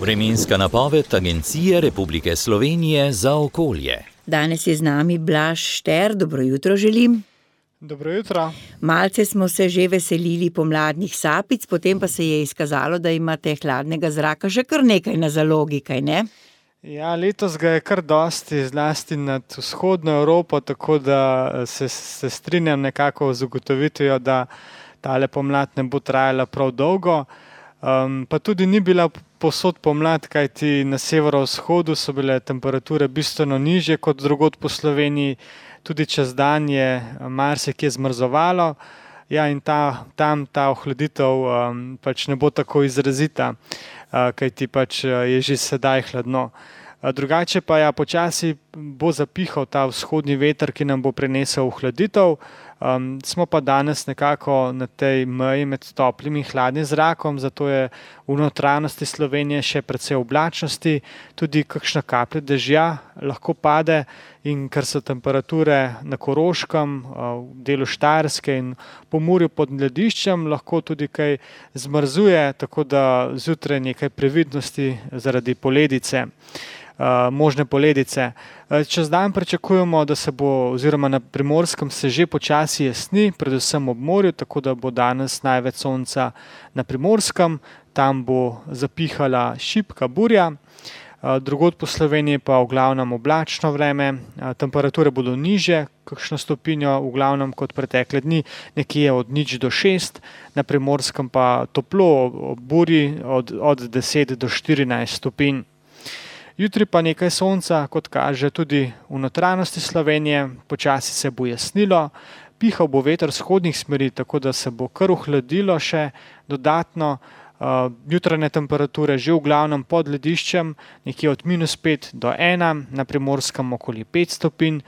Vremenska napoved Agencije Republike Slovenije za okolje. Danes je z nami Blaž Šter, dobro jutro želim. Dobro jutro. Malce smo se že veselili pomladnih sapic, potem pa se je izkazalo, da imate hladnega zraka še kar nekaj na zalogi, kaj ne? Ja, letos ga je kar dosti, zlasti nad vzhodno Evropo, tako da se strinjam nekako z ugotovitvijo, da tale pomlad ne bo trajala prav dolgo. Pa tudi ni bila povsod pomlad, kajti na severovzhodu so bile temperature bistveno nižje kot drugod po Sloveniji, tudi čez dan je marsikje zmrzovalo, ja, in tam ta ohladitev pač ne bo tako izrazita, kajti pač je že sedaj hladno. Drugače pa ja, počasi bo zapihal ta vzhodni veter, ki nam bo prinesel ohladitev. Smo pa danes nekako na tej meji med toplim in hladnim zrakom, zato je v notranjosti Slovenije še precej oblačnosti, tudi kakšna kaplja dežja lahko pade, in ker so temperature na Koroškem, v delu Štajerske in Pomurju pod lediščem, lahko tudi kaj zmrzuje, tako da zjutraj nekaj previdnosti zaradi poledice. Možne poledice. Čez dan pričakujemo, da se bo, oziroma na Primorskem se že počasi jesni, predvsem ob morju, tako da bo danes največ sonca na Primorskem, tam bo zapihala šibka burja, drugod po Sloveniji pa v glavnem oblačno vreme, temperature bodo nižje, kakšno stopinjo v glavnem kot pretekle dni, nekje od 0 do 6, na Primorskem pa toplo, ob burji od 10 do 14 stopinj. Jutri pa nekaj sonca, kot kaže tudi v notranjosti Slovenije, počasi se bo jasnilo, pihal bo veter vzhodnih smeri, tako da se bo kar ohladilo še dodatno. Jutranje temperature že v glavnem pod lediščem, nekje od -5 do 1, na Primorskem okoli 5 stopinj,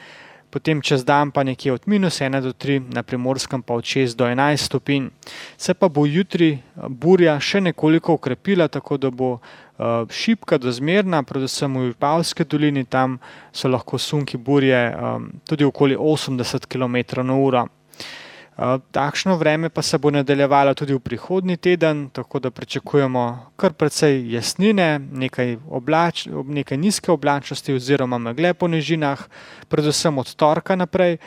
potem čez dan pa nekje od -1 do 3, na Primorskem pa od 6 do 11 stopinj. Se pa bo jutri burja še nekoliko okrepila, tako da bo šibka do zmerna, predvsem v Vipavski dolini, tam so lahko sunki burje tudi okoli 80 km/h. Takšno vreme pa se bo nadaljevalo tudi v prihodnji teden, tako da pričakujemo kar precej jasnine, nekaj nizke oblačnosti oziroma megle po nižinah, predvsem od torka naprej.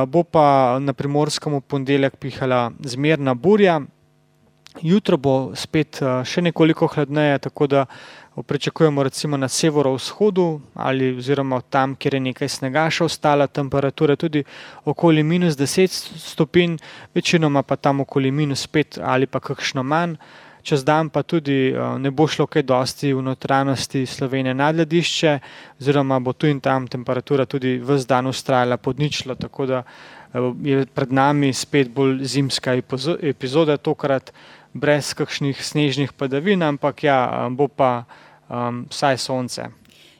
Bo pa na Primorskem v ponedeljek pihala zmerna burja. Jutro bo spet še nekoliko hladneje, tako da pričakujemo recimo na severovzhodu ali oziroma tam, kjer je nekaj snega še ostala, temperature tudi okoli -10 stopinj, večinoma pa tam okoli -5 ali pa kakšno manj. Čez dan pa tudi ne bo šlo kaj dosti v notranjosti Slovenije nad ledišče, oziroma bo tu in tam temperatura tudi ves dan vztrajala pod ničlo, tako da je pred nami spet bolj zimska epizoda, tokrat brez kakšnih snežnih padavin, ampak ja, bo pa vsaj sonce.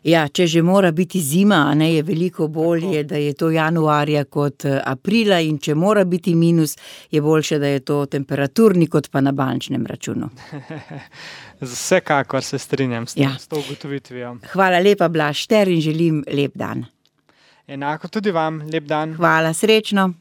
Ja, če že mora biti zima, a ne, je veliko bolje, da je to januarja kot aprila, in če mora biti minus, je boljše, da je to temperaturni kot pa na bančnem računu. Vsekakor se strinjam s to ugotovitvijo. Hvala lepa, Blaž Šter, in želim lep dan. Enako tudi vam, lep dan. Hvala, srečno.